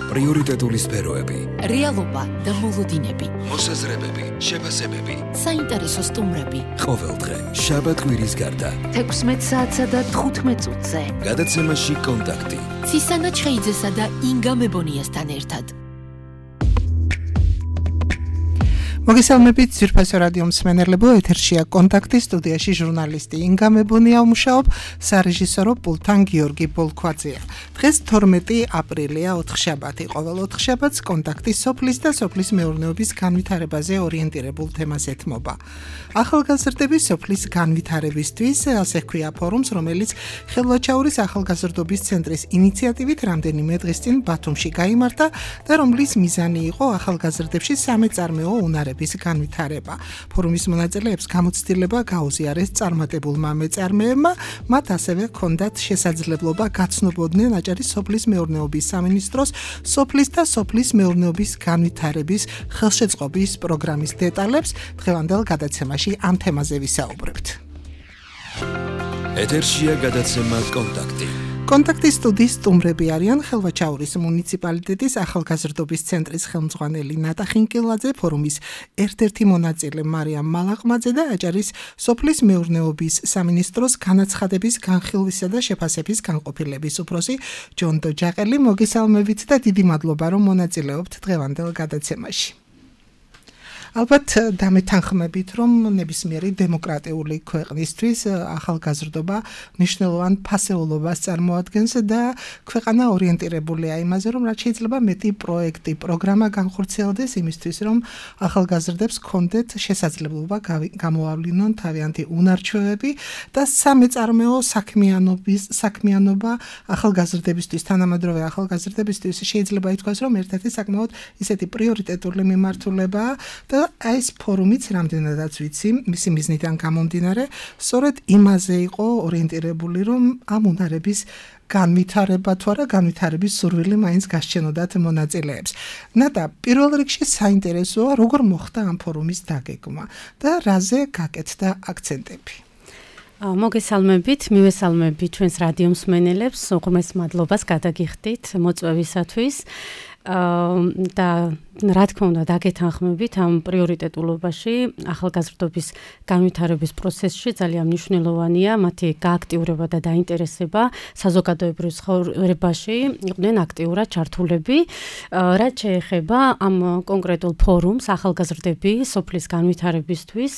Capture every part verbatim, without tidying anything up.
პრიორიტეტული სფეროები, რეალობა და მოლოდინები, მოსაზრებები, შეფასებები, საინტერესო სტუმრები. ყოველდღე, შაბათ-კვირის გარდა, თექვსმეტ საათსა და თხუთმეტ წუთზე. გადაცემაში კონტაქტი. ცისანა ჩხეიძესა და ინგა მებონიასთან ერთად. მოგესალმებით ძვირფასო რადიო მსმენელებო, ეთერშია კონტაქტი, სტუდიაში ჟურნალისტი ინგა მებონია ვმუშაობ, სარეჟისორო პულტთან გიორგი ბოლქვაძეა. დღეს თორმეტი აპრილია, ოთხშაბათი. ყოველ ოთხშაბათს კონტაქტი სოფლის და სოფლის მეურნეობის განვითარებაზე ორიენტირებულ თემას ეთმობა. ახალგაზრდების სოფლის განვითარებისთვის ასე ჰქვია ფორუმს, რომელიც ხელვაჩაურის ახალგაზრდობის ცენტრის ინიციატივით რამდენიმე დღის წინ ბათუმში გაიმართა და რომლის მიზანი იყო ახალგაზრდებში სამეწარმეო უნარების განვითარება. ფორუმის მონაწილეებს გამოცდილება გაუზიარეს წარმატებულმა მეწარმეებმა, მათ ასევე ჰქონდათ შესაძლებლობა გაცნობოდნენ აჭარის სოფლის მეურნეობის სამინისტროს სოფლის და სოფლის მეურნეობის განვითარების ხელშეწყობის პროგრამის დეტალებს. დღევანდელ გადაცემაში ამ თემაზე ვისაუბრებთ. ეთერშია გადაცემა კონტაქტი. კონტაქტის სტუდიის სტუმრები არიან ხელვაჩაურის მუნიციპალიტეტის ახალგაზრდობის ცენტრის ხელმძღვანელი ნატა ხინკილაძე, ფორუმის ერთ-ერთი მონაწილე მარიამ მალაყმაძე და აჭარის სოფლის მეურნეობის სამინისტროს განაცხადების განხილვისა და შეფასების განყოფილების უფროსი ჯონდო ჯაყელი. მოგესალმებით და დიდი მადლობა, რომ მონაწილეობთ დღევანდელ გადაცემაში. ალბათ დამეთანხმებით, რომ ნებისმიერი დემოკრატიული ქვეყნისთვის ახალგაზრდობა მნიშვნელოვან ფასეულობას წარმოადგენს და ქვეყანა ორიენტირებულია იმაზე, რომ რაც შეიძლება მეტი პროექტი, პროგრამა განხორციელდეს იმისთვის, რომ ახალგაზრდებს ჰქონდეთ შესაძლებლობა გამოავლინონ თავიანთი უნარჩვევები და სამეწარმეო საქმიანობის საქმიანობა ახალგაზრდებისთვის, თანამედროვე ახალგაზრდებისთვის შეიძლება ითქვას, რომ ერთ-ერთი საკმაოდ ისეთი პრიორიტეტული მიმართულებაა და ეს ფორუმიც რამდენადაც ვიცი, მისი მიზნიდან გამომდინარე, სწორედ იმაზე იყო ორიენტირებული, რომ ამ უნარების განვითარება თუ არა განვითარების სურვილი მაინც გასჩენოდათ მონაწილეებს. ნატა, პირველ რიგში საინტერესოა, როგორ მოხდა ამ ფორუმის დაგეგმა და რაზე გაკეთდა აქცენტები. მოგესალმებით, მივესალმებით ჩვენს რადიო მსმენელებს, უღრმეს მადლობას გადაგიხდით მოწვევისათვის. და რა თქმა უნდა დაგეთანხმებით ამ პრიორიტეტულობაში ახალგაზრდობის განვითარების პროცესში ძალიან მნიშვნელოვანია მათი გააქტიურება და დაინტერესება საზოგადოებრივ ცხოვრებაში იყვნენ აქტიურად ჩართულები. რაც შეეხება ამ კონკრეტულ ფორუმს ახალგაზრდები სოფლის განვითარებისთვის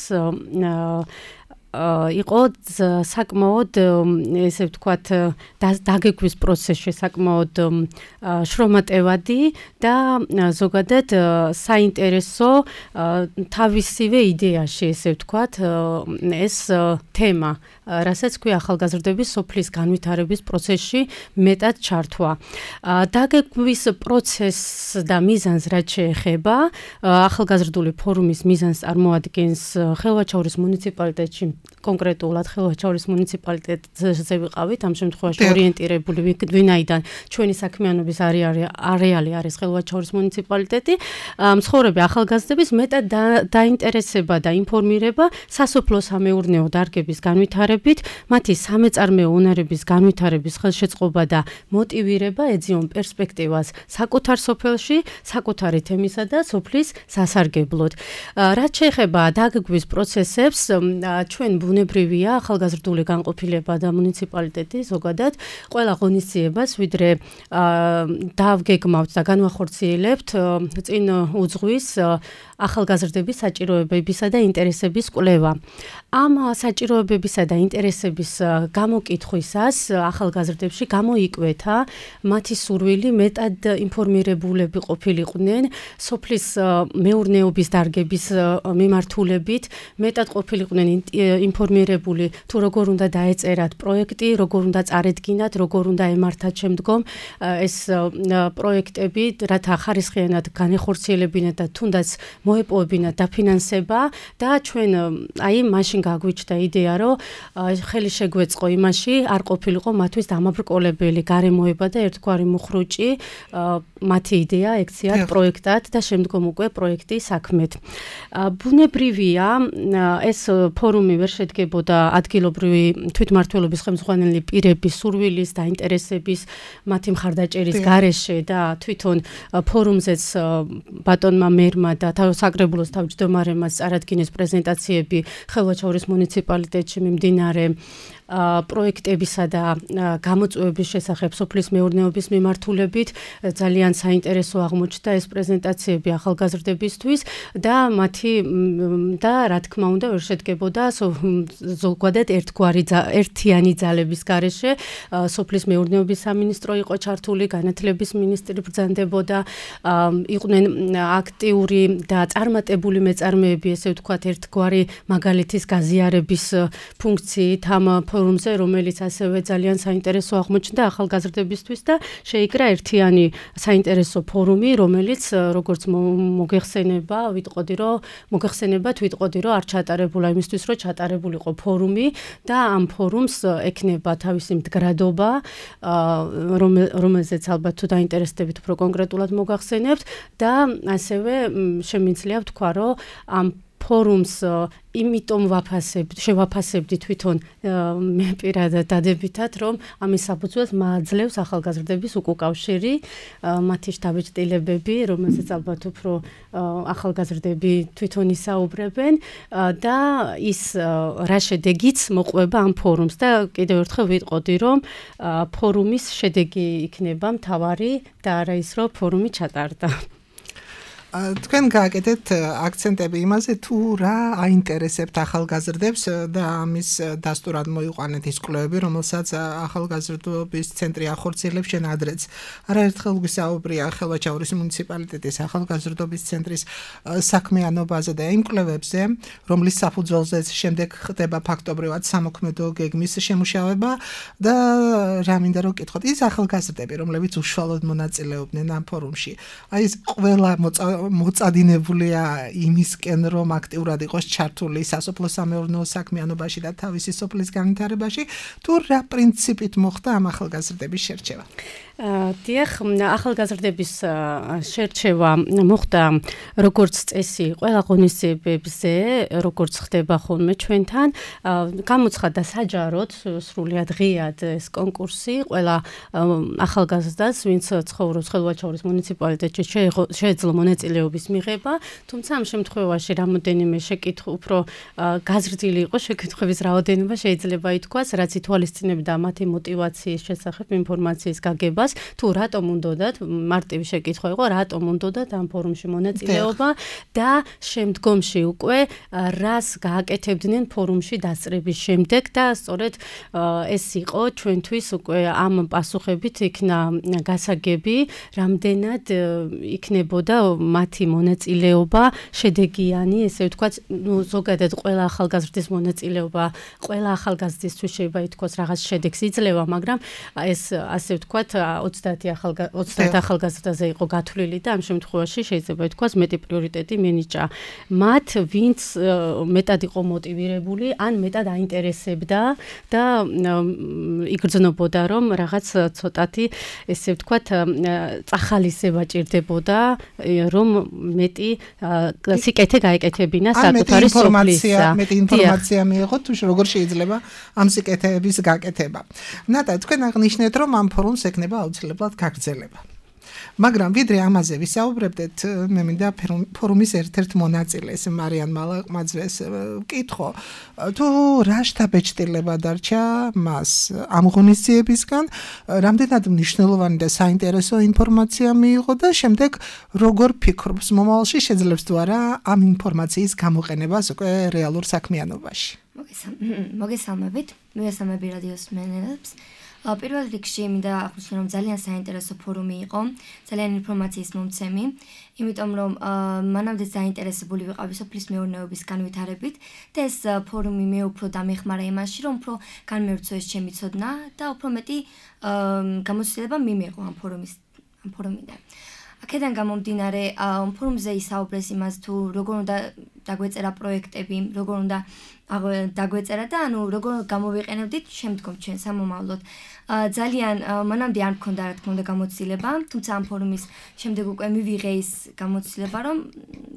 იყო საკმაოდ ესე ვთქვათ დაგეგმვის პროცესში საკმაოდ შრომატევადი და ზოგადად საინტერესო თავისივე იდეაში ესე ვთქვათ ეს თემა, რასაც ქვია ახალგაზრდების სოფლის განვითარების პროცესში მეტად ჩართვა. დაგეგმვის პროცესს და მიზანს რაც შეეხება ახალგაზრდული ფორუმის მიზანს წარმოადგენს ხელვაჩაურის მუნიციპალიტეტში კონკრეტულად ხელვაჩაურის მუნიციპალიტეტზე ვიყავით ამ შემთხვევაში ორიენტირებული ვინაიდან ჩვენი საქმიანობის არეალი არის ხელვაჩაურის მუნიციპალიტეტი მცხოვრები ახალგაზრდების მეტად დაინტერესება და ინფორმირება სასოფლო-სამეურნეო დარგების განვითარებით მათი სამეწარმეო უნარების განვითარების ხელშეწყობა და მოტივირება ეძიონ პერსპექტივას საკუთარ სოფელში საკუთარი თემისა და სოფლის სასარგებლოდ. რაც შეეხება დაგეგმვის პროცესებს ჩვენ ბუნებრივია ახალგაზრდული განყოფილება და მუნიციპალიტეტი ზოგადად ყველა ღონისძიებას ვიდრე დავგეგმავთ და განვახორციელებთ წინ უძღვის ახალგაზრდების საჭიროებებისა და ინტერესების კვლევა. ამ საჭიროებებისა და ინტერესების გამოკითხვისას ახალგაზრდებში გამოიკვეთა მათი სურვილი მეტად ინფორმირებულები ყოფილიყვნენ სოფლის მეურნეობის დარგების მიმართულებით, მეტად ყოფილიყვნენ ინფორმირებული თუ როგორ უნდა დაეწერათ პროექტი, როგორ უნდა წარედგინათ, როგორ უნდა ემართათ შემდგომ ეს პროექტები, რათა ხარისხიანად განეხორციელებინათ და თუნდაც მოეპოვებინათ დაფინანსება და ჩვენ აი მაშინ გაგვიჩნდა იდეა, რომ ხელი შეგვეწყო იმაში, არ ყოფილიყო მათთვის დამაბრკოლებელი გარემოება და ერთგვარი მუხრუჭი მათი იდეა ექციათ პროექტად და შემდგომ უკვე პროექტი საქმეთ. ბუნებრივია ეს ფორუმი ვერ ვერ შედგებოდა ადგილობრივი თვითმმართველობის ხელმძღვანელი პირების სურვილის და ინტერესების მათი მხარდაჭერის გარეშე და თვითონ ფორუმზეც ბატონმა მერმა და საკრებულოს თავმჯდომარემაც წარადგინეს პრეზენტაციები ხელვაჩაურის მუნიციპალიტეტში მიმდინარე პროექტებისა და გამოწვევების შესახებ სოფლის მეურნეობის მიმართულებით ძალიან საინტერესო აღმოჩნდა ეს პრეზენტაციები ახალგაზრდებისთვის და მათი და რა თქმა უნდა ვერ შედგებოდა ზოგადად ერთგვარი ერთიანი ძალების გარეშე სოფლის მეურნეობის სამინისტრო იყო ჩართული, განათლების მინისტრი ბრძანდებოდა, იყვნენ აქტიური და წარმატებული მეწარმეები, ესე ვთქვათ, ერთგვარი მაგალითის გაზიარების ფუნქციით ამ ფორუმზე, რომელიც ასევე ძალიან საინტერესო აღმოჩნდა ახალგაზრდებისთვის და შეიკრა ერთიანი საინტერესო ფორუმი, რომელიც როგორც მოგეხსენება, ვიტყოდი რომ მოგეხსენებათ, ვიტყოდი რომ არ ჩატარებულა იმისთვის, რომ ჩატარებულიყო ფორუმი და ამ ფორუმს ექნება თავისი მდგრადობა, რომელზეც ალბათ თუ დაინტერესდებით უფრო კონკრეტულად მოგახსენებთ და ასევე შემიძლია ვთქვა, რომ ამ ფორუმს იმიტომ ვაფასებთ, შევაფასებდი თვითონ მე პირადად დადებითად, რომ ამის საფუძველს მააძლევს ახალგაზრდების უკავშირი, მათი შთაბეჭდილებები, რომელზეც ალბათ უფრო ახალგაზრდები თვითონ ისაუბრებენ და ის რა შედეგიც მოყვება ამ ფორუმს და კიდევ ერთხელ ვიტყოდი, რომ ფორუმის შედეგი იქნება მთავარი და არა ის, რომ ფორუმი ჩატარდა. თქვენ გააკეთეთ აქცენტები იმაზე, თუ რა აინტერესებთ ახალგაზრდებს და ამის დასტურად მოიყვანეთ ის კვლევები, რომელსაც ახალგაზრდობის ცენტრი ახორციელებს შენ ადრეც. არაერთხელ გვისაუბრია ხელვაჩაურის მუნიციპალიტეტის ახალგაზრდობის ცენტრის საქმიანობაზე და იმ კვლევებზე, რომლის საფუძველზეც შემდეგ ხდება ფაქტობრივად სამოქმედო გეგმის შემუშავება და რა მინდა რომ გკითხოთ, ის ახალგაზრდები, რომლებიც უშუალოდ მონაწილეობდნენ ამ ფორუმში. აი ეს ყველა მოწადინებულია იმისკენ, რომ აქტიურად იყოს ჩართული სასოფლო-სამეურნეო საქმიანობაში და თავისი სოფლის განვითარებაში, თუ რა პრინციპით მოხდა ამ ახალგაზრდების შერჩევა? დიახ, ახალგაზრდების შერჩევა მოხდა როგორც წესი ყველა ღონისძიებებზე, როგორც ხდება ხოლმე ჩვენთან. გამოცხადდა საჯაროდ, სრულიად ღიად ეს კონკურსი ყველა ახალგაზრდას, ვინც ცხოვრობს ხელვაჩაურის მუნიციპალიტეტში, შეეძლო მონაწილეობის მიღება, თუმცა ამ შემთხვევაში რამოდენიმე შეკითხვა უფრო გაზრდილი იყო შეკითხვების რაოდენობა შეიძლება ითქვას, რაც ითვალისწინებდა მათი მოტივაციის შესახებ ინფორმაციის გაგებას. თუ რატომ უნდათ, მარტივი შეკითხვა იყო, რატომ უნდათ ამ ფორუმში მონაწილეობა და შემდგომში უკვე რას გააკეთებდნენ ფორუმში დასწრების შემდეგ და სწორედ ეს იყო ჩვენთვის უკვე ამ პასუხებით იქნა გასაგები, რამდენად იქნებოდა მათი მონაწილეობა შედეგიანი, ესე ვთქვათ, ნუ ზოგადად ყველა ახალგაზრდის მონაწილეობა, ყველა ახალგაზრდისთვის შეიძლება ითქვას რაღაც შედეგს იძლევა, მაგრამ ეს ასე ვთქვათ ოცდაათი ახალგაზრდაზე იყო გათვლილი და ამ შემთხვევაში შეიძლება ითქვას მეტი პრიორიტეტი მინიჭა მათ, ვინც მეტად იყო მოტივირებული, ან მეტად აინტერესებდა და იგრძნობოდა, რომ რაღაც ცოტათი, ესე ვთქვათ, წახალისება ჭირდებოდა, რომ მეტი სიკეთე გაეკეთებინა საკუთარი სოფლისა. მეტი ინფორმაცია მიიღოთ, თუ როგორ შეიძლება ამ სიკეთეების გაკეთება. ნატა, თქვენ აღნიშნეთ, რომ ამ ფორუმს ექნება აუცილებლად გაგრძელება. მაგრამ ვიდრე ამაზე ვისაუბრებდეთ, მე მინდა ფორუმის ერთ-ერთ მონაწილეს მარიან მალაყმაძეს ვკითხო, თუ რა შთაბეჭდილება დარჩა მას ამ ღონისძიებისგან, რამდენად მნიშვნელოვანი და საინტერესო ინფორმაცია მიიღო და შემდეგ როგორ ფიქრობს მომავალში შეძლებს თუ არა ამ ინფორმაციის გამოყენებას უკვე რეალურ საქმიანობაში. მოგესალმებით, მოგესალმები რადიოს მსმენელებს. პირველ რიგში მინდა აღვნიშნო, რომ ძალიან საინტერესო ფორუმი იყო, ძალიან ინფორმაციის მომცემი, იმიტომ რომ მანამდე საინტერესებული ვიყავი სოფლის მეურნეობის განვითარებით და ეს ფორუმი მე უფრო დამეხმარა იმაში, რომ უფრო განმეორწოს ჩემი ცოდნა და უფრო მეტი გამოცდილება მიმიღო ამ ფორუმის ამ ფორუმიდან. აქედან გამომდინარე, ფორუმზე ისაუბრეს იმას, თუ როგორ უნდა დაგვეწერა პროექტები, როგორ უნდა დაგვეწერა და ანუ როგორ გამოვიყენებდით შემდგომ ჩვენ სამომავლოდ. ძალიან მანამდე არ მქონდა რა თქმა უნდა გამოცდილება, თუმცა ამ ფორუმის შემდეგ უკვე მივიღე ის გამოცდილება, რომ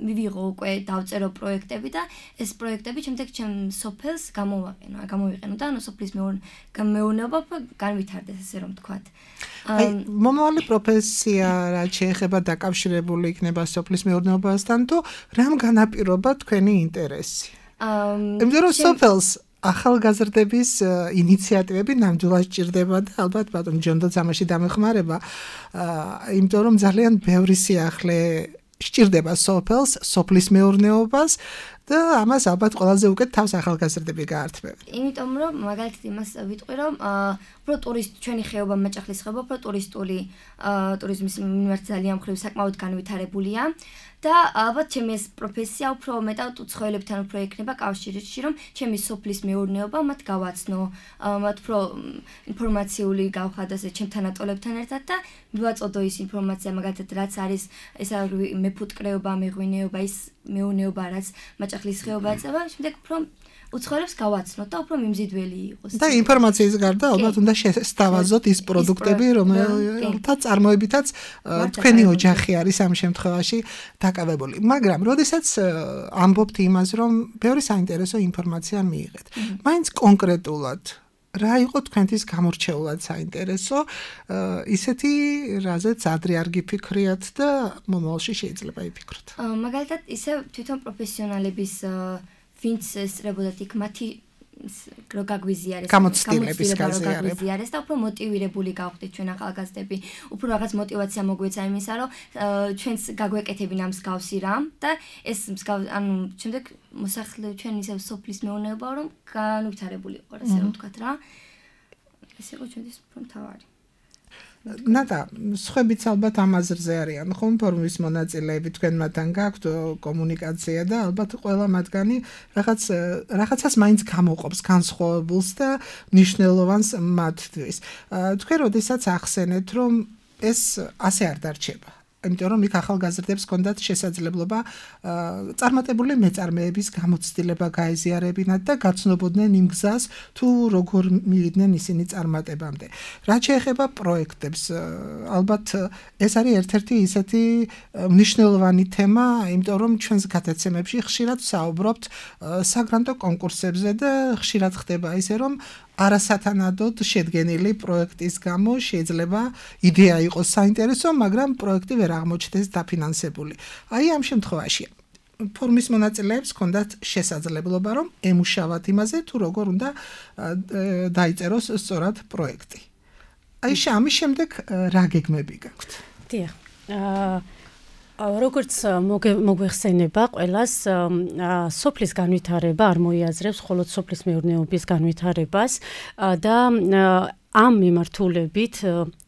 მივიღო უკვე დავწერო პროექტები და ეს პროექტები შემდეგ ჩემ სოფელს გამოვაყენო, გამოვიყენო და ანუ სოფლის მეურნეობა განვითარდეს ესე რომ ვთქვათ. აი, მომავალი პროფესია რა შეეხება დაკავშირებული იქნება სოფლის მეურნეობასთან თუ რამ განაპირობა თქვენი ინტერესი? იმიტომ რომ სოფელს ახალგაზრდების ინიციატივები ნამდვილად ჭირდება და ალბათ ბატონ ჯონდაც ამაში დამეხმარება, იმიტომ რომ ძალიან ბევრი სიახლე სჭირდება სოფელს, სოფლის მეურნეობას და ამას ალბათ ყველაზე უკეთ თავს ახალგაზრდები გაართმევენ. იმიტომ რომ მაგალითად იმას ვიტყვი რომ უფრო ტურისტ ჩვენი ხეობა მაჭახლის ხეობა უფრო ტურისტული ტურიზმის მიმართ ძალიან მხრივ საკმაოდ განვითარებულია და ალბათ ჩემი ეს პროფესია უფრო მეტად უცხოელებთან უფრო ექნება კავშირში რომ ჩემი სოფლის მეურნეობა მათ გავაცნო, მათ უფრო ინფორმაციული გავხადოს ჩემ თანატოლებთან ერთად და მივაწოდო ის ინფორმაცია მაგალითად რაც არის ეს მეფუტკრეობა, მეღვინეობა, ის მეურნეობა რაც მაჭახლის ხეობაა წევა, შემდეგ უფრო უცხოელებს გავაცნოთ და უფრო მიმზიდველი იყოს. და ინფორმაციის გარდა ალბათ უნდა შესთავაზოთ ის პროდუქტები, რომელთა წარმოებითაც თქვენი ოჯახი არის ამ შემთხვევაში დაკავებული. მაგრამ როდესაც ამბობთ იმას, რომ ბევრი საინტერესო ინფორმაცია მიიღეთ, მაინც კონკრეტულად რა იყო თქვენთვის გამორჩეულად საინტერესო, ისეთი რაზეც ადრე არ გიფიქრიათ და მომავალში შეიძლება იფიქროთ. მაგალითად, ისე თვითონ პროფესიონალების ვინც ესწრებოდათ იქ მათი რო გაგვიზიარეს გამოცდილების გაზიარება და უფრო მოტივირებული გავხდით ჩვენ ახალგაზრდები, უფრო რაღაც მოტივაცია მოგვეცა იმისა, რომ ჩვენს გაგვეკეთებინა მსგავსი რამ და ეს მსგავსი ანუ შემდეგ მოსახლე ჩვენ ისევ სოფლის მეურნეობა რომ განვითარებული იყო, ასე რომ ვთქვათ რა. ეს იყო ჩვენთვის უფრო მთავარი. ნატა, სხვებიც ალბათ ამ აზრზე არიან, ხომ ფორუმის მონაწილეები თქვენ მათთან გაქვთ კომუნიკაცია და ალბათ ყველა მათგანი რაღაც რაღაცას მაინც გამოყოფს განსხვავებულს და მნიშვნელოვანს მათთვის. თქვენ როდესაც ახსენეთ, რომ ეს ასე არ დარჩება. იმიტომ რომ იქ ახალგაზრდებს ჰქონდათ შესაძლებლობა წარმატებული მეწარმეების გამოცდილება გაეზიარებინათ და გაცნობოდნენ იმ გზას თუ როგორ მივიდნენ ისინი წარმატებამდე. რაც შეეხება პროექტებს, ალბათ ეს არის ერთ-ერთი ისეთი მნიშვნელოვანი თემა, იმიტომ რომ ჩვენს გადაცემებში ხშირად საუბრობთ საგრანტო კონკურსებზე და ხშირად ხდება ისე რომ არასათანადოდ შედგენილი პროექტის გამო შეიძლება იდეა იყოს საინტერესო, მაგრამ პროექტი ვერ აღმოჩნდეს დაფინანსებული. აი ამ შემთხვევაში ფორუმის მონაწილეებს ჰქონდათ შესაძლებლობა რომ ემუშავათ იმაზე თუ როგორ უნდა დაიწეროს სწორად პროექტი. აი ამის შემდეგ რა გეგმები გაქვთ? დიახ. როგორც მოგვეხსენება ყველას სოფლის განვითარება არ მოიაზრებს მხოლოდ სოფლის მეურნეობის განვითარებას და ამ მიმართულებით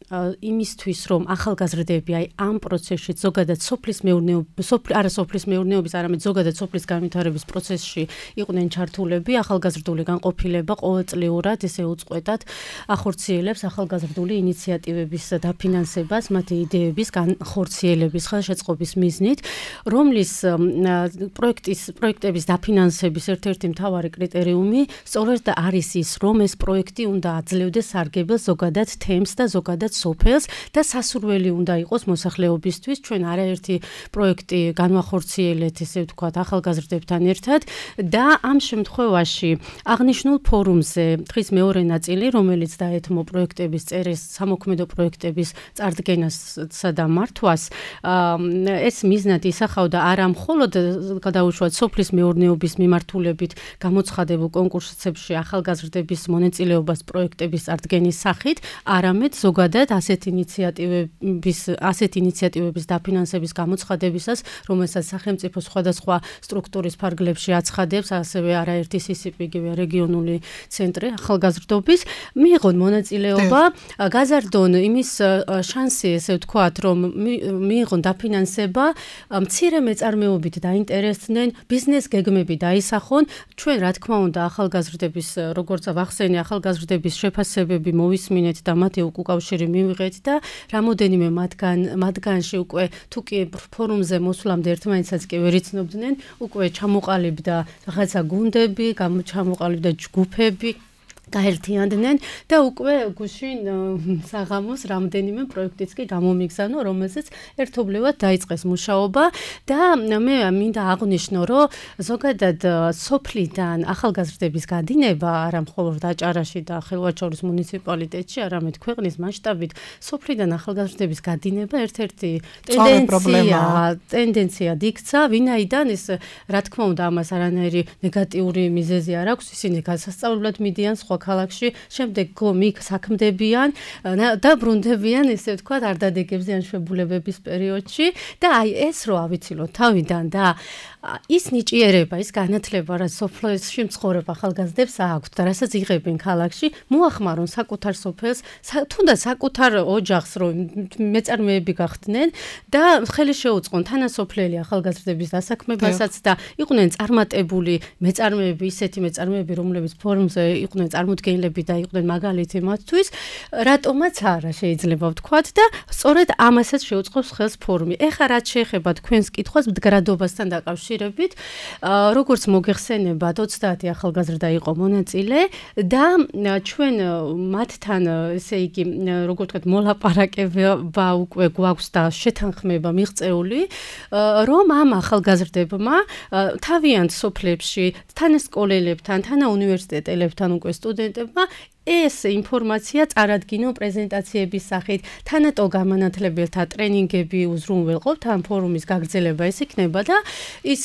იმისთვის რომ ახალგაზრდები აი ამ პროცესში ზოგადად სოფლის მეურნეობის არა სოფლის მეურნეობის არამედ ზოგადად სოფლის განვითარების პროცესში იყვნენ ჩართულები, ახალგაზრდული განყოფილება ყოველწლიურად ესე უწყვეტად ახორციელებს ახალგაზრდული ინიციატივების დაფინანსებას, მათი იდეების განხორციელების ხელშეწყობის მიზნით, რომლის პროექტის პროექტების დაფინანსების ერთ-ერთი მთავარი კრიტერიუმი სწორედ არის ის, რომ ეს პროექტი უნდა აძლევდეს სარგებელს ზოგადად თემს და ზოგადად სოფელს და სასურველი უნდა იყოს მოსახლეობისთვის. ჩვენ არაერთი პროექტი განვახორციელეთ, ესე ვთქვათ, ახალგაზრდებთან ერთად და ამ შემთხვევაში აღნიშნულ ფორუმზე დღის მეორე ნაწილი, რომელიც დაეთმო პროექტების წერეს, სამოქმედო პროექტების წარდგენასა და მართვას, ეს მიზნად ისახავდა არა მხოლოდ გადაუშვათ სოფლის მეურნეობის მიმართულებით გამოცხადებულ კონკურსებში ახალგაზრდების მონაწილეობას პროექტების წარდგენის სახით, არამედ ზოგადად ასეთ ინიციატივების ასეთ ინიციატივების დაფინანსების გამოცხადებისას, რომელსაც სახელმწიფო სხვადასხვა სტრუქტურის ფარგლებში აცხადებს, ასევე არაერთი სისიპიგივე რეგიონული ცენტრი ახალგაზრდობის, მიიღონ მონაწილეობა, გაზარდონ იმის შანსი, ესე ვთქვათ, რომ მიიღონ დაფინანსება, მცირე მეწარმეობით დაინტერესდნენ, ბიზნეს გეგმები დაისახონ. ჩვენ რა თქმა უნდა ახალგაზრდების, როგორც ვახსენე, ახალგაზრდების შეფასებები მოვისმინეთ და მათი უკავშირი მივიღეთ და რამოდენიმე მათგან მათგანში უკვე თუ კი ფორუმზე მოსვლამდე ერთმანეთსაც კი ვერ იცნობდნენ, უკვე ჩამოყალიბდა რაღაცა გუნდები, ჩამოყალიბდა ჯგუფები გაერთიანდნენ და უკვე გუშინ საღამოს რამდენიმე პროექტიც კი გამომიგზავნო, რომელზეც ერთობლივად დაიწყეს მუშაობა და მე მინდა აღვნიშნო, რომ ზოგადად სოფლიდან ახალგაზრდების გადინება არა მხოლოდ აჭარაში და ხილვაჩორის მუნიციპალიტეტში, არამედ ქვეყნის მასშტაბით სოფლიდან ახალგაზრდების გადინება ერთ-ერთი ტენდენცია, ტენდენციად იქცა, ვინაიდან ეს რა თქმა უნდა ამას არანაირი ნეგატიური მიზეზი არ აქვს, ისინი გასასწავლებლად მიდიან სხვა ქალაქში, შემდეგ გომიკ საქმდებიან და ბრუნდებიან, ესე ვთქვათ, არდადეგებზე ან შვებულებების პერიოდში და აი ეს რო ავიცილოთ თავიდან და ის ნიჭიერება, ის განათლება, რაც სოფლში მცხოვრებ ახალგაზრდებს აქვს და რასაც იღებენ ქალაქში, მოახმარონ საკუთარ სოფელს, თუნდაც საკუთარ ოჯახს, რომ მეწარმეები გახდნენ და ხელი შეუწყონ თანასოფლელი ახალგაზრდების დასაქმებასაც და იყვნენ წარმატებული მეწარმეები, ისეთი მეწარმეები, რომლებიც ფორუმზე იყვნენ წარმოდგენილები და იყვნენ მაგალითი მათთვის, რატომაც არა შეიძლება ვთქვათ და სწორედ ამასაც შეუწყობს ხელს ფორუმი. ეხლა რაც შეეხება თქვენს კითხვას მდგრადობასთან დაკავშირებით, როგორც მოგეხსენებათ, ოცდაათი ახალგაზრდა იყო მონაწილე და ჩვენ მათთან, ესე იგი, როგორც ვთქვათ, მოლაპარაკება უკვე გვაქვს და შეთანხმება მიღწეული, რომ ამ ახალგაზრდებმა თავიანთ სოფლებში, თანასკოლელებთან, თანაუნივერსიტეტელებთან უკვე სტუდენტებმა ეს ინფორმაცია წარადგინო პრეზენტაციების სახით, თანატო გამანათლებელთა ტრენინგები უზრუნველყოფთ, ამ ფორუმის გაგრძელება ეს იქნება და ის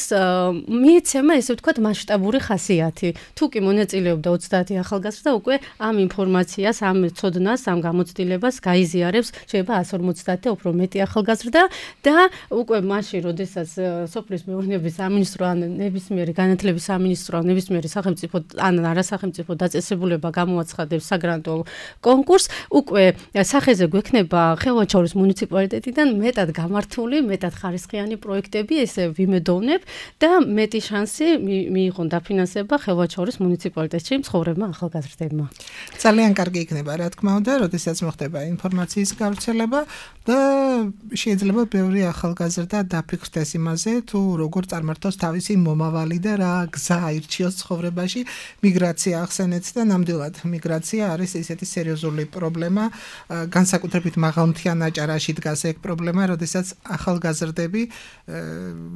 მიეცემა, ესე ვთქვათ, მასშტაბური ხასიათი. თუ კი მონაწილეობდა ოცდაათი ახალგაზრდა, უკვე ამ ინფორმაციას, ამ ცოდნას, ამ გამოცდილებას გაიზიარებს, შეიძლება ასი ორმოცდაათი და უფრო მეტი ახალგაზრდა და უკვე მაშინ, როდესაც სოფლის მეურნეობის სამინისტრო ან ნებისმიერი განათლების სამინისტრო ან ნებისმიერი სახელმწიფო ან არასახელმწიფო დაწესებულება გამოაცხადებს საგრანტო კონკურს, უკვე სახეზე გვექნება ხილვაჩორის მუნიციპალიტეტიდან მეტად გამართული, მეტად ხარისხიანი პროექტები, ესე ვიმედოვნებ და მეტი შანსი მიიღონ დაფინანსება ხილვაჩორის მუნიციპალიტეტში მცხოვრებმა ახალგაზრდებმა. ძალიან კარგი იქნება, რა თქმა უნდა, როდესაც მოხდება ინფორმაციის გავრცელება და შეიძლება ბევრი ახალგაზრდა დაფიქრდეს იმაზე, თუ როგორ წარმართოს თავისი მომავალი და რა გზა აირჩიოს ცხოვრებაში. მიგრაცია ახსენეთ და ნამდვილად მიგრაცია არის ესეთი სერიოზული პრობლემა, განსაკუთრებით მაღალმთიან აჭარაში დგას ეგ პრობლემა, როდესაც ახალგაზრდები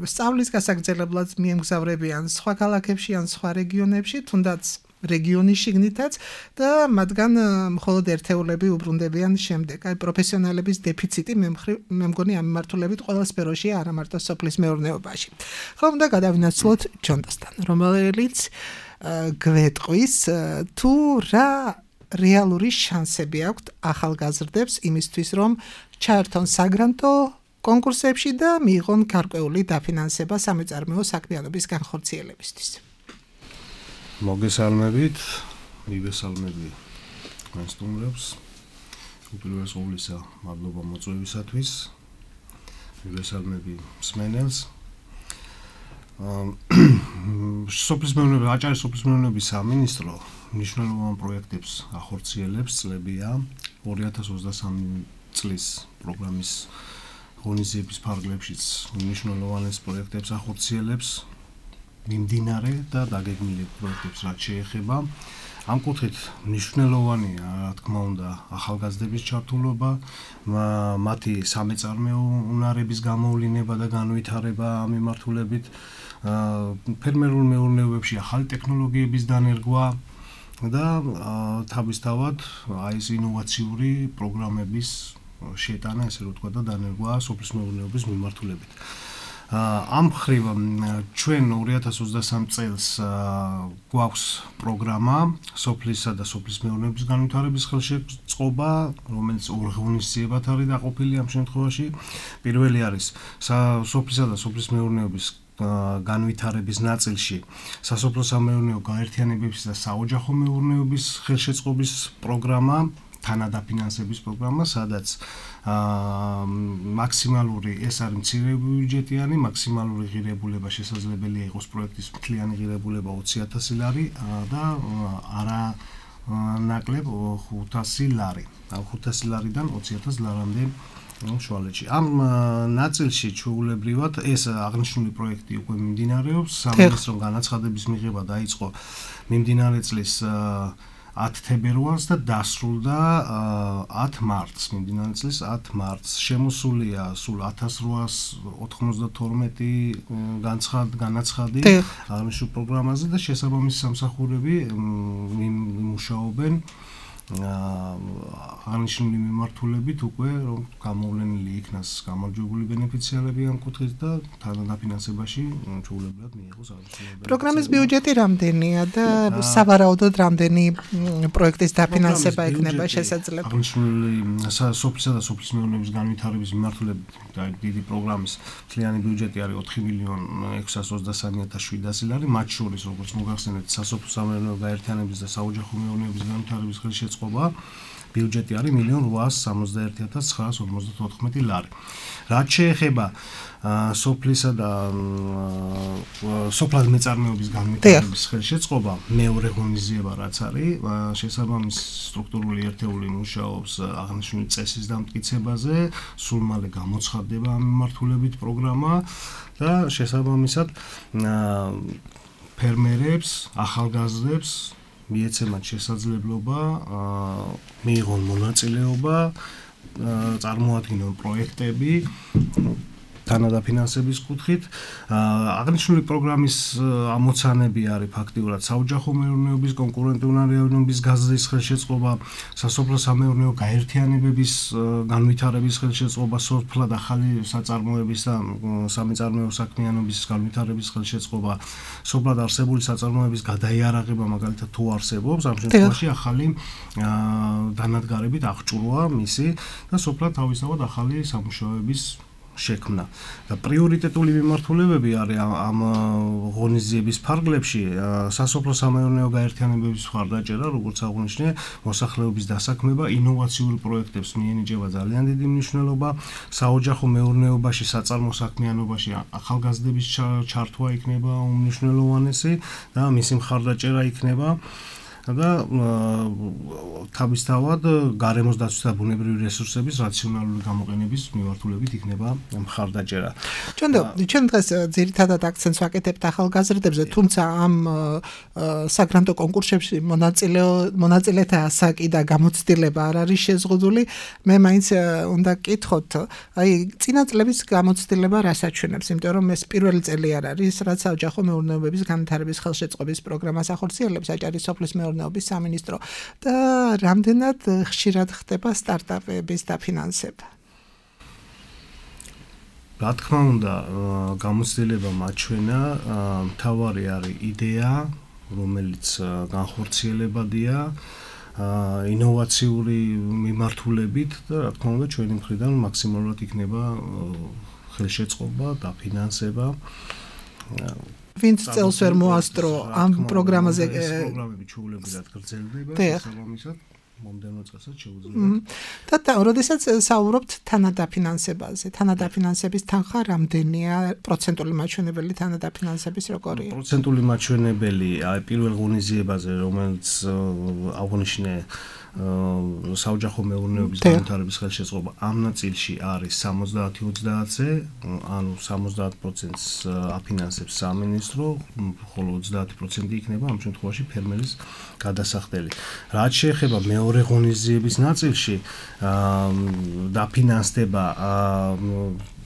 სწავლის გასაგრძელებლად მიემგზავრებიან სხვა ქალაქებში ან სხვა რეგიონებში, თუნდაც რეგიონის შიგნითაც და მათგან მხოლოდ ერთეულები უბრუნდებიან შემდეგ. აი პროფესიონალების დეფიციტი მე მგონი ამ მიმართულებით ყველა სფეროშია, არა მარტო სოფლის მეურნეობაში. ხო, უნდა გადავინაცვლოთ ჯონდასთან, რომელიც გვეტყვის თუ რა რეალური შანსები აქვთ ახალგაზრდებს იმისთვის, რომ ჩაერთონ საგრანტო კონკურსებში და მიიღონ გარკვეული დაფინანსება სამეწარმეო საქმიანობის განხორციელებისთვის. მოგესალმებით, მივესალმები თქვენ სტუმრებს. უპირველეს ყოვლისა, მადლობა მოწვევისათვის. მივესალმები მსმენელს. სოფლის მეურნეობის, აჭარის სოფლის მეურნეობის სამინისტრო მნიშვნელოვან პროექტებს ახორციელებს წლებია ორი ათას ოცდასამი წლის პროგრამის ღონისძიების ფარგლებშიც მნიშვნელოვანეს პროექტებს ახორციელებს მიმდინარე და დაგეგმილი პროექტებს რაც შეეხება. ამ კუთხით მნიშვნელოვანია, რა თქმა უნდა, ახალგაზრდების ჩართულობა, მათი სამეწარმეო უნარების გამოვლინება და განვითარება ამ მიმართულებით, ფერმერულ მეურნეობებში ახალი ტექნოლოგიების დანერგვა და თავისთავად აი ეს ინოვაციური პროგრამების შეტანა, ესე რომ ვთქვა და დანერგვა სოფლის მეურნეობის მიმართულებით. ამ მხრივ ჩვენ ორი ათას ოცდასამი წელს გვაქვს პროგრამა სოფლისა და სოფლის მეურნეობის განვითარების ხელშეწყობა, რომელიც ორ ღონისძიებად არის დაყოფილი ამ შემთხვევაში. პირველი არის სოფლისა და სოფლის მეურნეობის განვითარების ნაწილში სასოფლო-სამეურნეო გაერთიანებების და საოჯახო მეურნეობის ხელშეწყობის პროგრამა, თანადაფინანსების პროგრამა, სადაც მაქსიმალური ეს არის მცირე ბიუჯეტიანი, მაქსიმალური ღირებულება შესაძლებელია იყოს პროექტის მთლიანი ღირებულება ოცი ათასი ლარი და არა ნაკლებ ხუთასი ლარი. ხუთასი ლარიდან ოცი ათას ლარამდე შუალედში. ამ ნაწილში ჩვეულებრივად ეს აღნიშნული პროექტი უკვე მიმდინარეობს. სამინისტრომ განაცხადების მიღება დაიწყო მიმდინარე წლის ათ თებერვალს და დასრულდა ათ მარტს. მიმდინარე წლის ათ მარტს. შემოსულია სულ ათას რვაას ოთხმოცდათორმეტი განაცხადი აღნიშნულ პროგრამაზე და შესაბამისი სამსახურები იმუშაობენ აღნიშნული მიმართულებით უკვე რომ გამოვლენილი იქნას გამარჯვებული ბენეფიციარები ამ კუთხით და თანადაფინანსებაში ჩვეულებრივად მიიღოს აღნიშნული პროგრამის ბიუჯეტი რამდენია და სავარაუდოდ რამდენი პროექტის დაფინანსება იქნება შესაძლებელი აღნიშნული სოფლისა და სოფლის მეურნეობის განვითარების მიმართულებით დიდი პროგრამის მთლიანი ბიუჯეტი არის ოთხი მილიონი ექვსას ოცდასამი ათას შვიდასი ლარი მათ შორის როგორც მოგახსენეთ სასოფლო სამეურნეო გაერთიანების და საოჯახო მეურნეობის განვითარების ხელშეწყობა ბიუჯეტი არის მილიონი რვაას სამოცდაერთი ათას ცხრაას ორმოცდათოთხმეტი ლარი. რაც შეეხება სოფლისა და სოფლად მეწარმეობის განვითარების ხელშეწყობა მეორე ღონისძიება რაც არის შესაბამის სტრუქტურული ერთეული მუშაობს აღნიშნული წესის დამტკიცებაზე სულ მალე გამოცხადდება ამ მიმართულებით პროგრამა და შესაბამისად ფერმერებს ახალგაზრდებს მიეცემათ შესაძლებლობა მიიღონ მონაწილეობა წარმოადგინონ პროექტები თანადაფინანსების კუთხით აღნიშნული პროგრამის ამოცანები არის ფაქტიურად საოჯახო მეურნეობის კონკურენტუნარიანობის გაზრდის ხელშეწყობა სასოფლო სამეურნეო გაერთიანებების განვითარების ხელშეწყობა სოფლად ახალი საწარმოების და სამეწარმეო საქმიანობის განვითარების ხელშეწყობა სოფლად არსებული საწარმოების გადაიარაღება მაგალითად თუ არსებობს ამ შემთხვევაში ახალი დანადგარებით აღჭურვა მისი და სოფლად თავისთავად ახალი სამუშაოების შექმნა და პრიორიტეტული მიმართულებები არის ამ ღონისძიების ფარგლებში სასოფლო სამეურნეო გაერთიანებების მხარდაჭერა როგორც აღვნიშნე მოსახლეობის დასაქმება ინოვაციური პროექტებს მიენიჭება ძალიან დიდი მნიშვნელობა საოჯახო მეურნეობაში საწარმო საქმიანობაში ახალგაზრდების ჩართვა იქნება უმნიშვნელოვანესი და მისი მხარდაჭერა იქნება და თავისთავად გარემოს დაცვის და ბუნებრივი რესურსების რაციონალური გამოყენების მიმართულებით იქნება მხარდაჭერა. ჩვენ ჩვენ დღეს ძირითადად აქცენტს ვაკეთებთ ახალგაზრდებზე, თუმცა ამ საგრანტო კონკურსებში მონაწილე მონაწილეთა ასაკი და გამოცდილება არ არის შეზღუდული. მე მაინც უნდა გკითხოთ, აი წინა წლების გამოცდილება რას აჩვენებს, იმიტომ რომ ეს პირველი წელი არ არის, რაც საოჯახო მეურნეობების განვითარების ხელშეწყობის პროგრამას ახორციელებს აჭარის სოფლის მეურნეობის სამინისტრო და რამდენად ხშირად ხდება სტარტაპების დაფინანსება? რა თქმა უნდა, გამოცდილება მაჩვენა, მთავარი არის იდეა, რომელიც განხორციელებადია, ინოვაციური მიმართულებით და რა თქმა უნდა, ჩვენი მხრიდან მაქსიმალურად იქნება ხელშეწყობა, დაფინანსება. ვინც წელს ვერ მოასწრო ამ პროგრამაზე პროგრამები ჩვეულებრივად გრძელდება შესაბამისად მომდევნო წელსაც შეუძლია და და როდესაც საუბრობთ თანადაფინანსებაზე თანადაფინანსების თანხა რამდენია პროცენტული მაჩვენებელი თანადაფინანსების როგორია პროცენტული მაჩვენებელი აი პირველ ღონისძიებაზე რომელიც აღვნიშნე საოჯახო მეურნეობის განვითარების ხელშეწყობა ამ ნაწილში არის სამოცდაათი ოცდაათზე, ანუ სამოცდაათ პროცენტს აფინანსებს სამინისტრო, ხოლო ოცდაათი პროცენტი იქნება ამ შემთხვევაში ფერმერის გადასახდელი. რაც შეეხება მეორე ღონისძიების ნაწილში, დაფინანსდება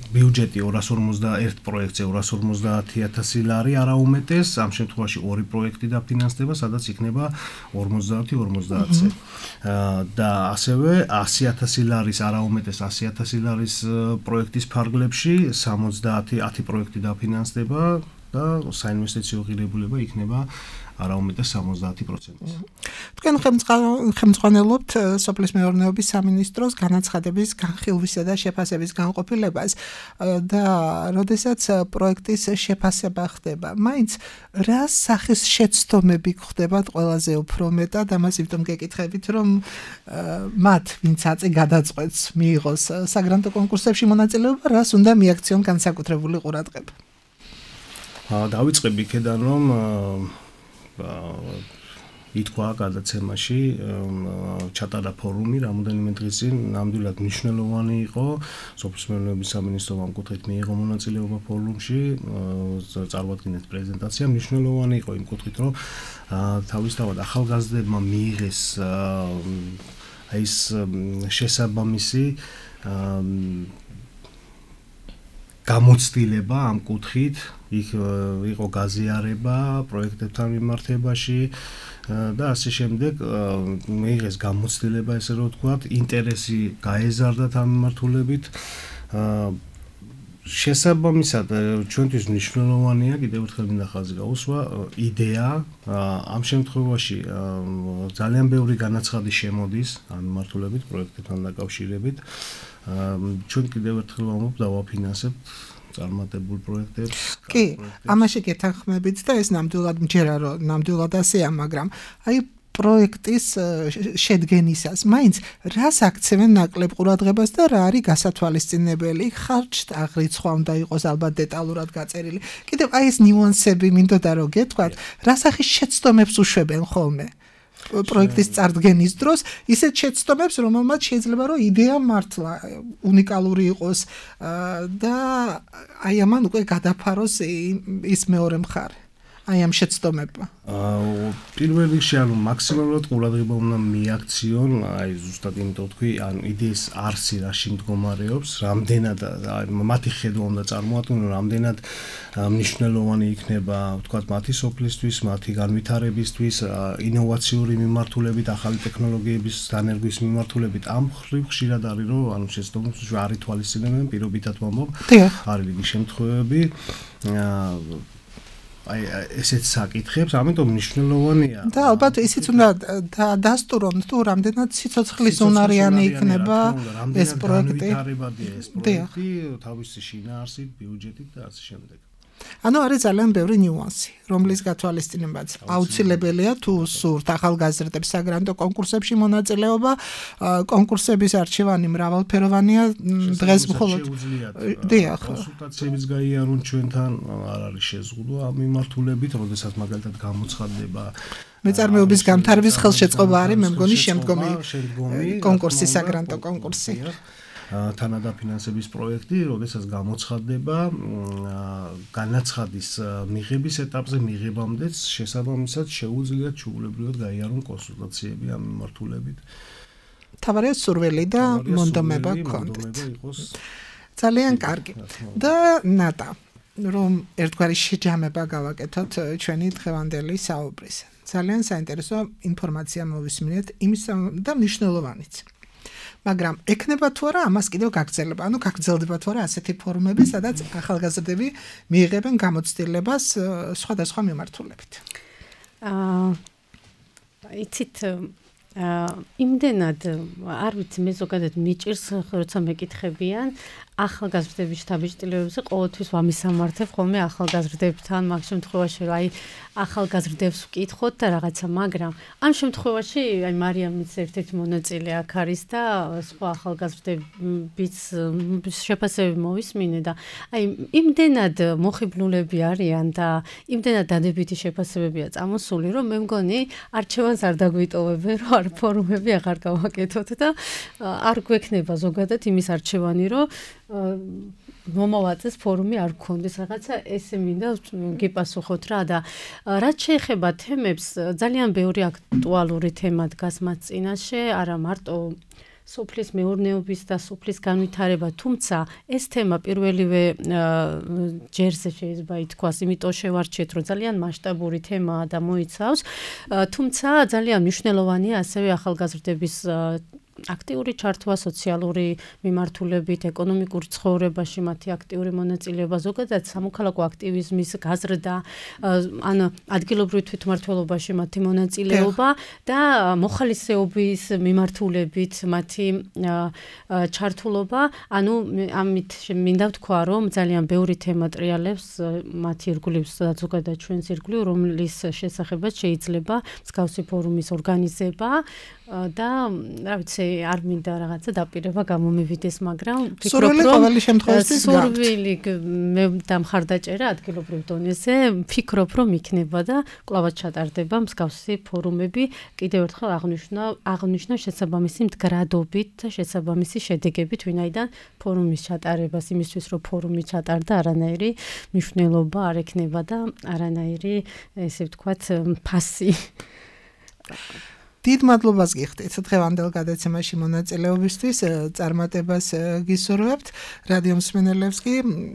ბიუჯეტი ორას ორმოცდაერთ პროექტზე ორას ორმოცდაათი ათასი ლარი არაუმეტეს, ამ შემთხვევაში ორი პროექტი დაფინანსდება, სადაც იქნება ორმოცდაათი ორმოცდაათზე. და ასევე ასი ათასი ლარის არაუმეტეს ასი ათასი ლარის პროექტის ფარგლებში სამოცდაათი ათი პროექტი დაფინანსდება და საინვესტიციო ღირებულება იქნება არაუმეტეს სამოცდაათი პროცენტი. თქვენ ხელმძღვანელობთ სოფლის მეურნეობის სამინისტროს განაცხადების განხილვისა და შეფასების განყოფილებას და როდესაც პროექტის შეფასება ხდება, მაინც რა სახის შეცდომები ხდებათ ყველაზე უფრო მეტად, ამას იმიტომ გეკითხებით, რომ მათ, ვინც აწი გადაწყვეტს მიიღოს საგრანტო კონკურსებში მონაწილეობა, რას უნდა მიაქციონ განსაკუთრებული ყურადღება. დავიწყებ იქედან, რომ ითქვა გადაცემაში ჩატარა ფორუმი რამოდენიმე დღის წინ, ნამდვილად მნიშვნელოვანი იყო, სოფლის მეურნეობის სამინისტრომ ამ კუთხით მიიღო მონაწილეობა ფორუმში, წარუადგინეთ პრეზენტაცია, მნიშვნელოვანი იყო იმ კუთხით, რომ თავისთავად ახალგაზრდებმა მიიღეს აი ეს შესაბამისი გამოცდილება ამ კუთხით, იქ იყო გაზიარება პროექტებთან მიმართებაში და ასე შემდეგ მიიღეს გამოცდილება, ესე რომ ვთქვათ, ინტერესი გაეზარდათ ამ მიმართულებით. შესაბამისად, ჩვენთვის მნიშვნელოვანია, კიდევ ერთხელ მინდა ხაზი გაუსვა, იდეა, ამ შემთხვევაში ძალიან ბევრი განაცხადი შემოდის ამ მიმართულებით, პროექტებთან დაკავშირებით. ჩვენ კიდევ ერთხელ ვამბობ, დავაფინანსებთ წარმატებულ პროექტებს. კი, ამაში გეთანხმებით და ეს ნამდვილად მჯერა, რომ ნამდვილად ასეა, მაგრამ აი პროექტის შედგენისას მაინც რას აქცევენ ნაკლებ ყურადღებას და რა არის გასათვალისწინებელი, ხარჯთა აღრიცხვა უნდა იყოს ალბათ დეტალურად გაწერილი. კიდევ აი ეს ნიუანსები მინდოდა რომ გეთქვათ, რა სახის შეცდომებს უშვებენ ხოლმე პროექტის წარდგენის დროს, ისეთ შეცდომებს, რომელმაც შეიძლება რომ იდეა მართლა უნიკალური იყოს და აი ამან უკვე გადაფაროს ის მეორე მხარე. აი ამ შეცდომებმა. პირველ რიგში ანუ მაქსიმალურად ყურადღება უნდა მიაქციონ, აი ზუსტად იმიტომ თქვი, ან იდეის არსი რაში მდგომარეობს, რამდენად მათი ხედვა უნდა წარმოადგინონ, რამდენად მნიშვნელოვანი იქნება, ვთქვათ, მათი სოფლისთვის, მათი განვითარებისთვის, ინოვაციური მიმართულებით, ახალი ტექნოლოგიების დანერგვის მიმართულებით. ამ ხრივ ხშირად არის, რომ ანუ შეცდომებს არ ითვალისწინებენ, პირობითად ვამბობ, არის რიგი შემთხვევები. აი ესეც საკითხებს, ამიტომ მნიშვნელოვანია. და ალბათ ისიც უნდა დასტურონ, თუ რამდენად სიცოცხლის უნარიანი იქნება ეს პროექტი. ეს პროექტი თავისი შინაარსით, ბიუჯეტით და ასე შემდეგ. ანუ არის ძალიან ბევრი ნიუანსი, რომლის გათვალისწინებაც აუცილებელია თუ სურთ ახალგაზრდებს საგრანტო კონკურსებში მონაწილეობა, კონკურსების არჩევანი მრავალფეროვანია, დღეს მხოლოდ დიახ, კონსულტაციებიც გაიარონ ჩვენთან, არ არის შეზღუდვა ამ მიმართულებით, როდესაც მაგალითად გამოცხადდება მეწარმეობის განვითარების ხელშეწყობა არის, მე მგონი შემდგომი კონკურსი, საგრანტო კონკურსი. თანადაფინანსების პროექტი, როდესაც გამოცხადდება განაცხადის მიღების ეტაპზე მიღებამდეც შესაბამისად შეუძლიათ ჩაულებრივად გაიარონ კონსულტაციები ამ მიმართულებით. თავარია სურვილი და მონდომება გქონდეთ. ძალიან კარგი. და ნატა, რომ ერთგვარი შეჯამება გავაკეთოთ ჩვენი დღევანდელი საუბრის. ძალიან საინტერესო ინფორმაცია მოვისმინეთ იმის და მნიშვნელოვანიც. მაგრამ ექნება თუ არა ამას კიდევ გაგრძელება, ანუ გაგრძელდება თუ არა ასეთი ფორუმები, სადაც ახალგაზრდები მიიღებენ გამოცდილებას სხვადასხვა მიმართულებით. აა იცით იმდენად არ ვიცი მე ზოგადად მიჭირს როცა მეკითხებიან ახალგაზრდების შთაბეჭდილებებზე ყოველთვის ვამისამართებ ხოლმე ახალგაზრდებთან მაგ შემთხვევაში რომ აი ახალგაზრდებს ვკითხოთ და რაღაცა, მაგრამ ამ შემთხვევაში აი მარიამიც ერთ-ერთი მონაწილე აქ არის და სხვა ახალგაზრდებიც შეფასებები მოვისმინე და აი იმდენად მოხიბლულები არიან და იმდენად დადებითი შეფასებებია წამოსული, რომ მე მგონი არჩევანს არ დაგვიტოვებენ, რომ არ ფორუმები აღარ გავაკეთოთ და არ გვექნება ზოგადად იმის არჩევანი, რომ მომავაწეს ფორუმი არ გქონდეს, რაღაცა ესე მინდა გიპასუხოთ რა და რაც შეეხება თემებს, ძალიან ბევრი აქტუალური თემა დგას მათ წინაშე, არა მარტო სოფლის მეურნეობის და სოფლის განვითარება, თუმცა ეს თემა პირველივე ჯერზე შეიძლება ითქვას, იმიტომ შევარჩიეთ, რომ ძალიან მასშტაბური თემაა და მოიცავს, თუმცა ძალიან მნიშვნელოვანია ასევე ახალგაზრდების აქტიური ჩართვა სოციალური მიმართულებით, ეკონომიკურ ცხოვრებაში მათი აქტიური მონაწილეობა, ზოგადად სამოქალაქო აქტივიზმის გაზრდა, ან ადგილობრივ თვითმმართველობაში მათი მონაწილეობა და მოხალისეობის მიმართულებით მათი ჩართულობა, ანუ ამით მინდა ვთქვა, რომ ძალიან ბევრი თემა ტრიალებს მათი ირგვლივ და ზოგადად ჩვენს ირგვლივ, რომლის შესახებაც შეიძლება მსგავსი ფორუმის ორგანიზება და რა ვიცი არ მინდა რაღაცა დაპირება გამომივიდეს, მაგრამ სურვილი ყოველი შემთხვევაში სურვილი მე დამხარდაჭერა ადგილობრივ დონეზე, ვფიქრობ, რომ იქნება და კვლავაც ჩატარდება მსგავსი ფორუმები, კიდევ ერთხელ აღნიშნა აღნიშნა შესაბამისი მდგრადობით და შესაბამისი შედეგებით, ვინაიდან ფორუმის ჩატარებას იმისთვის, რომ ფორუმი ჩატარდა, არანაირი მნიშვნელობა არ ექნება და არანაირი, ესე ვთქვათ, ფასი. დიდ მადლობას გიხდით დღევანდელ გადაცემაში მონაწილეობისთვის, წარმატებას გისურვებთ. რადიო მსმენელებს კი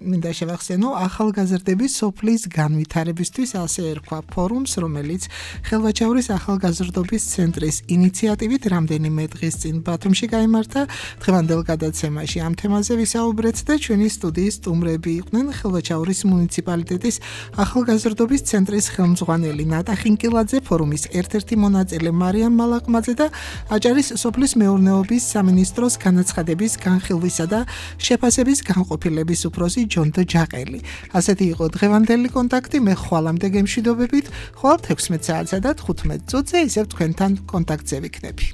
მინდა შევახსენო ახალგაზრდების სოფლის განვითარებისთვის ასე ერქვა ფორუმს, რომელიც ხელვაჩაურის ახალგაზრდობის ცენტრის ინიციატივით რამდენიმე დღის წინ ბათუმში გაიმართა. დღევანდელ გადაცემაში ამ თემაზე ვისაუბრეთ და ჩვენი სტუდიის სტუმრები იყვნენ ხელვაჩაურის მუნიციპალიტეტის ახალგაზრდობის ცენტრის ხელმძღვანელი ნატა ხინკილაძე, ფორუმის ერთ-ერთი მონაწილე მარიამ მალაყმაძე და აჭარის სოფლის მეურნეობის სამინისტროს განაცხადების განხილვისა და შეფასების განყოფილების უფროსი ჯონდო ჯაყელი. ასეთი იყო დღევანდელი კონტაქტი. მე ხვალამდე გემშვიდობებით, ხვალ თექვსმეტ საათსა და თხუთმეტ წუთზე ისევ თქვენთან კონტაქტზე ვიქნები.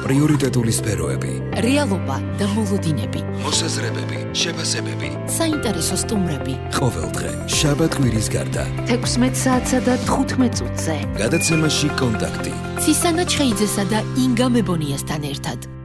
პრიორიტეტული სფეროები, რეალობა და მოლოდინები, მოსაზრებები, შეფასებები, საინტერესო სტუმრები. ყოველდღე შაბათ-კვირის გარდა თექვსმეტ საათსა და თხუთმეტ წუთზე. გადაცემაში კონტაქტი. ცისანა ჩხეიძესა და ინგა მებონიასთან ერთად.